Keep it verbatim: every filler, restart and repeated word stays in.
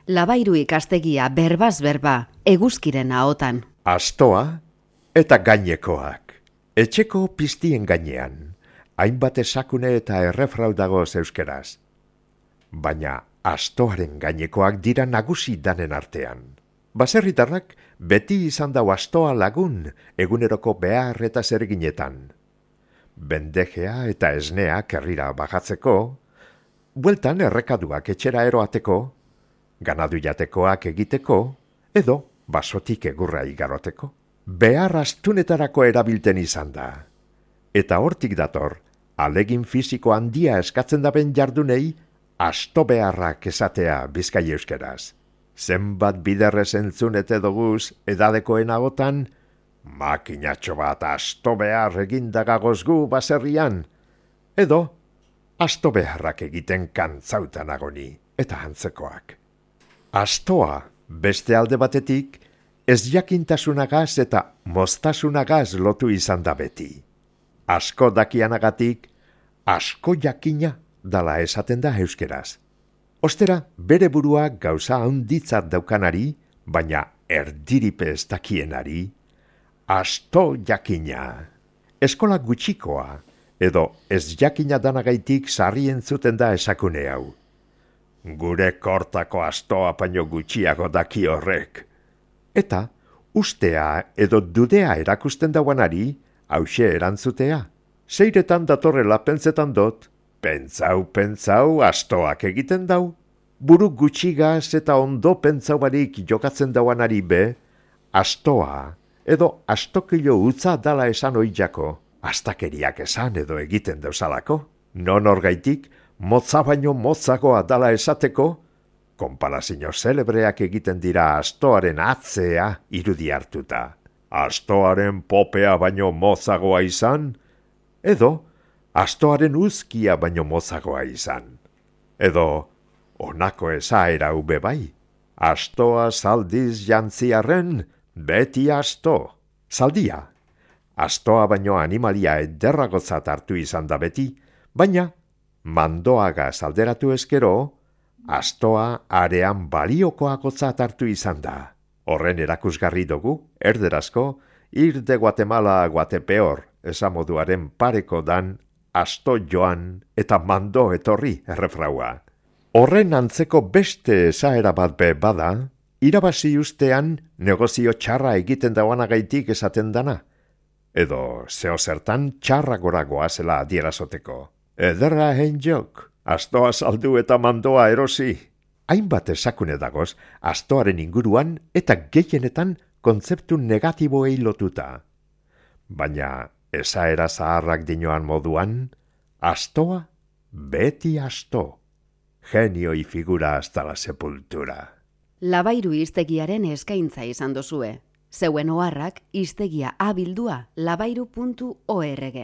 Labairu ikastegia berbaz berba, eguzkiren ahotan. Astoa eta gainekoak. Etxeko piztien gainean, hainbat esakune eta errefrau dagoz euskeraz. Baina astoaren gainekoak dira nagusi danen artean. Baserritarrak beti izan dau astoa lagun eguneroko behar eta zerginetan. Bendejea eta esnea kerrira bajatzeko, bueltan errekaduak etxera eroateko, ganadu jatekoak egiteko, edo basotik egurra igaroteko. Behar astunetarako erabilten izan da. Eta hortik dator, alegin fisiko handia eskatzen daben jardunei, asto beharrak esatea Bizkai euskeraz. Zenbat biderrez entzunete doguz edadekoen agotan, makinatxo bat asto behar egindagagozgu baserrian, edo asto beharrak egiten kantzautan agoni, eta antzekoak. Astoa, beste alde batetik, ez jakintasunagaz eta moztasunagaz lotu izan da beti. Asko dakianagatik, asko jakina dala esaten da euskeraz. Ostera, bere burua gauza handitzat daukanari, baina erdiripe ez dakienari, asto jakina. Eskola gutxikoa, edo ez jakina danagaitik sarri entzuten da esakune hau. Gure kortako astoa paino gutxiago daki horrek. Eta, ustea edo dudea erakusten dauanari, hause erantzutea. Seiretan datorrela pentsetan dot, pentsau, pentsau, astoak egiten dau. Buru gutxigaz eta ondo pentsau barik jokatzen dauanari be, astoa edo astokilo utza dala esan oiako, astakeriak esan edo egiten dauzalako. Non orgaitik, motza baino motzagoa dala esateko, konparazio zelebreak egiten dira astoaren atzea irudi hartuta. Astoaren popea baino motzagoa izan, edo astoaren uzkia baino motzagoa izan. Edo honako esaera ube bai, astoa zaldiz jantziarren beti asto. Zaldia, astoa baino animalia ederragotzat hartu izan da beti, baina mandoaga alderatu eskero, astoa arean baliokoagotzat hartu izan da. Horren erakusgarri dugu, erderazko, ir de Guatemala Guatepeor, esamoduaren pareko dan, asto joan eta mando etorri errefraua. Horren antzeko beste esaera bat be bada, irabazi ustean negozio txarra egiten dauanagaitik esaten dana, edo zeo zertan txarra goragoa zela adierazoteko. Ederra hein jok, astoa saldu eta mandoa erosi. Hainbat esakune dagoz, astoaren inguruan eta gehienetan kontzeptu negatiboei lotuta. Baina, esaera zaharrak dinoan moduan, astoa beti asto. Genioi figura hasta la sepultura. Labairu hiztegiaren eskaintza izan dozue. Zeuen oharrak hiztegia abildua labairu puntu org.